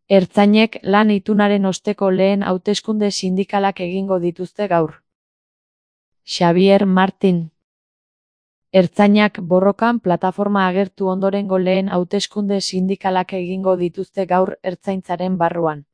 Ertzainek lan itunaren osteko lehen hauteskunde sindikalak egingo dituzte gaur. Xabier Martin. Ertzainak borrokan plataforma agertu ondorengo lehen hauteskunde sindikalak egingo dituzte gaur Ertzaintzaren barruan.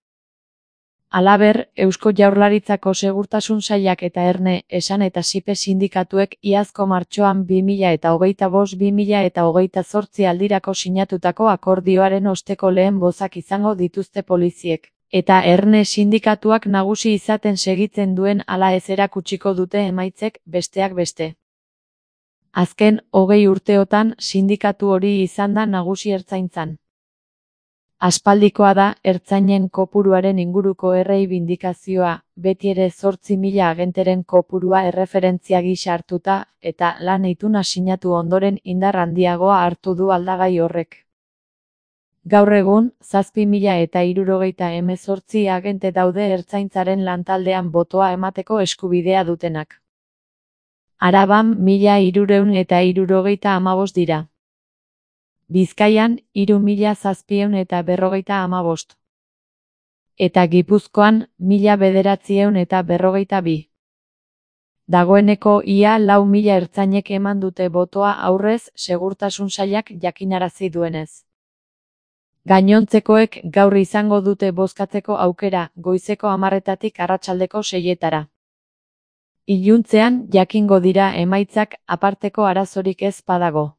Halaber, Eusko Jaurlaritzako Segurtasun Sailak eta Erne, Esan eta Sipe sindikatuek iazko martxoan 2025-2028 aldirako sinatutako akordioaren osteko lehen bozak izango dituzte poliziek, eta Erne sindikatuak nagusi izaten segitzen duen ala ez erakutsiko dute emaitzek, besteak beste. Azken 20 urteotan sindikatu hori izan da nagusi Ertzaintzan. Aspaldikoa da ertzainen kopuruaren inguruko erreibindikazioa, beti ere 8.000 agenteren kopurua erreferentzia gisa hartuta, eta lan ituna sinatu ondoren indar handiagoa hartu du aldagai horrek. Gaur egun, 7.068 agente daude Ertzaintzaren lantaldean botoa emateko eskubidea dutenak. Araban 1.375 dira. Bizkaian 3.755. Eta Gipuzkoan 1.952. Dagoeneko ia 4.000 ertzainek eman dute botoa aurrez Segurtasun Sailak jakinarazi duenez. Gainontzekoek gaur izango dute bozkatzeko aukera, goizeko 10:00 arratsaldeko 6:00. Iluntzean jakingo dira emaitzak, aparteko arazorik ez badago.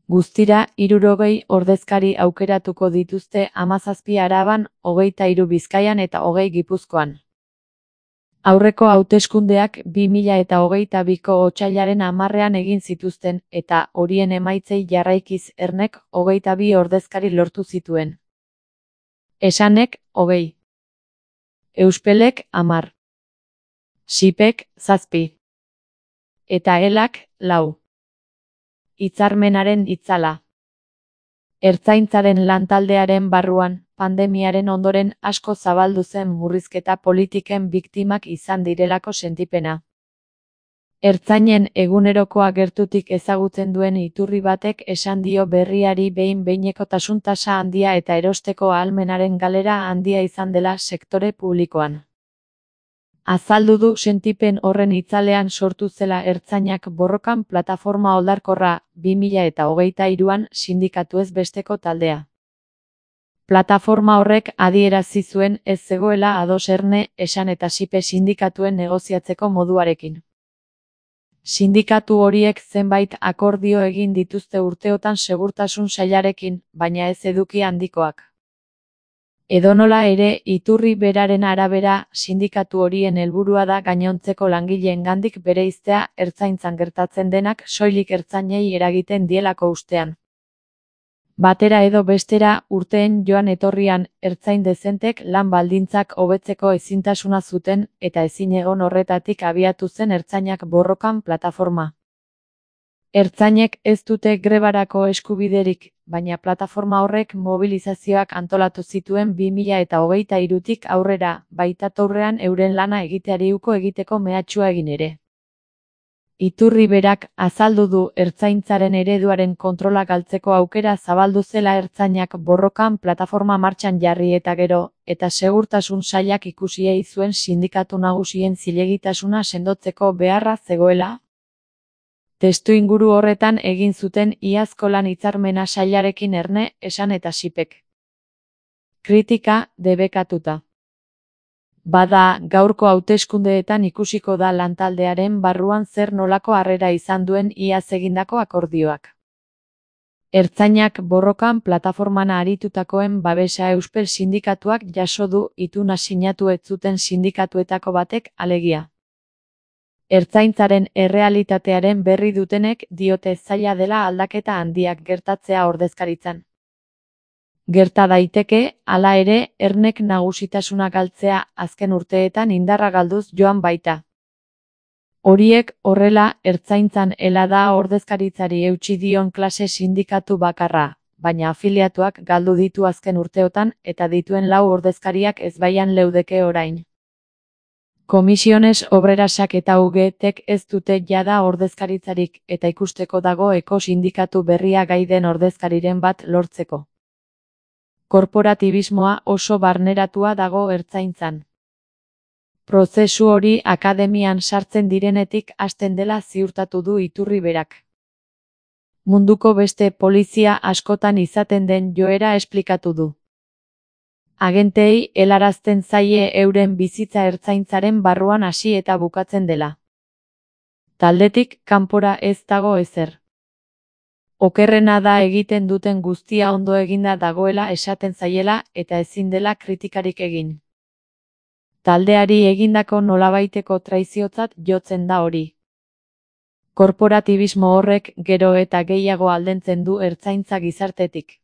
Guztira 60 ordezkari aukeratuko dituzte 17 Araban, 23 Bizkaian eta 20 Gipuzkoan. Aurreko hauteskundeak 2022ko otsailaren 10-ean egin zituzten, eta horien emaitzei jarraikiz Ernek 22 ordezkari lortu zituen. Esanek 20. Euspelek 10. Sipek 7. Eta Elak 4. Hitzarmenaren itzala. Ertzaintzaren lantaldearen barruan, pandemiaren ondoren asko zabaldu zen murrizketa politiken biktimak izan direlako sentipena. Ertzainen egunerokoa gertutik ezagutzen duen iturri batek esan dio berriari behin-behinekotasun tasa handia eta erosteko ahalmenaren galera handia izan dela sektore publikoan. Azaldu du sentipen horren itzalean sortu zela Ertzainak borrokan plataforma oldarkorra 2023an sindikatuez besteko taldea. Plataforma horrek adierazi zuen ez zegoela ados Erne, Esan eta Sipe sindikatuen negoziatzeko moduarekin. Sindikatu horiek zenbait akordio egin dituzte urteotan Segurtasun Sailarekin, baina ez eduki handikoak. Edonola ere, iturri beraren arabera, sindikatu horien helburua da gainontzeko langileengandik bereiztea Ertzaintzan gertatzen denak soilik ertzainei eragiten dielako ustean. Batera edo bestera, urteen joan etorrian, ertzain dezentek lan baldintzak hobetzeko ezintasuna zuten, eta ezinegon horretatik abiatu zen Ertzainak borrokan plataforma. Ertzainek ez dute grebarako eskubiderik, baina plataforma horrek mobilizazioak antolatu zituen 2023tik aurrera, baitatorrean euren lana egiteari uko egiteko mehatxua egin ere. Iturri berak azaldu du Ertzaintzaren ereduaren kontrola galtzeko aukera zabaldu zela Ertzainak borrokan plataforma martxan jarri eta gero, eta Segurtasun Sailak ikusiei zuen sindikatu nagusien zilegitasuna sendotzeko beharra zegoela. Testuinguru horretan egin zuten iazko lan hitzarmena Sailarekin Erne, Esan eta Sipek. Kritika debekatuta. Bada, gaurko hauteskundeetan ikusiko da lantaldearen barruan zer nolako harrera izan duen iaz egindako akordioak. Ertzainak borrokan plataforman aritutakoen babesa Euspel sindikatuak jaso du ituna sinatu ez zuten sindikatuetako batek alegia. Ertzaintzaren errealitatearen berri dutenek diote zaila dela aldaketa handiak gertatzea ordezkaritzan. Gerta daiteke, hala ere, Ernek nagusitasuna galtzea azken urteetan indarra galduz joan baita. Horiek horrela, Ertzaintzan helada ordezkaritzari eutsi dion klase sindikatu bakarra, baina afiliatuak galdu ditu azken urteotan eta dituen 4 ordezkariak ezbaian leudeke orain. Komisiones Obrerasak eta UGTek ez dute jada ordezkaritzarik eta ikusteko dago eko sindikatu berria gai den ordezkariren bat lortzeko. Korporatibismoa oso barneratua dago ertzaintzan. Prozesu hori akademian sartzen direnetik hasten dela ziurtatu du iturri berak. Munduko beste polizia askotan izaten den joera esplikatu du. Agenteei helarazten zaie euren bizitza ertzaintzaren barruan hasi eta bukatzen dela. Taldetik kanpora ez dago ezer. Okerrena da egiten duten guztia ondo eginda dagoela esaten zaiela eta ezin dela kritikarik egin. Taldeari egindako nolabaiteko traiziotzat jotzen da hori. Korporatibismo horrek gero eta gehiago aldentzen du ertzaintza gizartetik.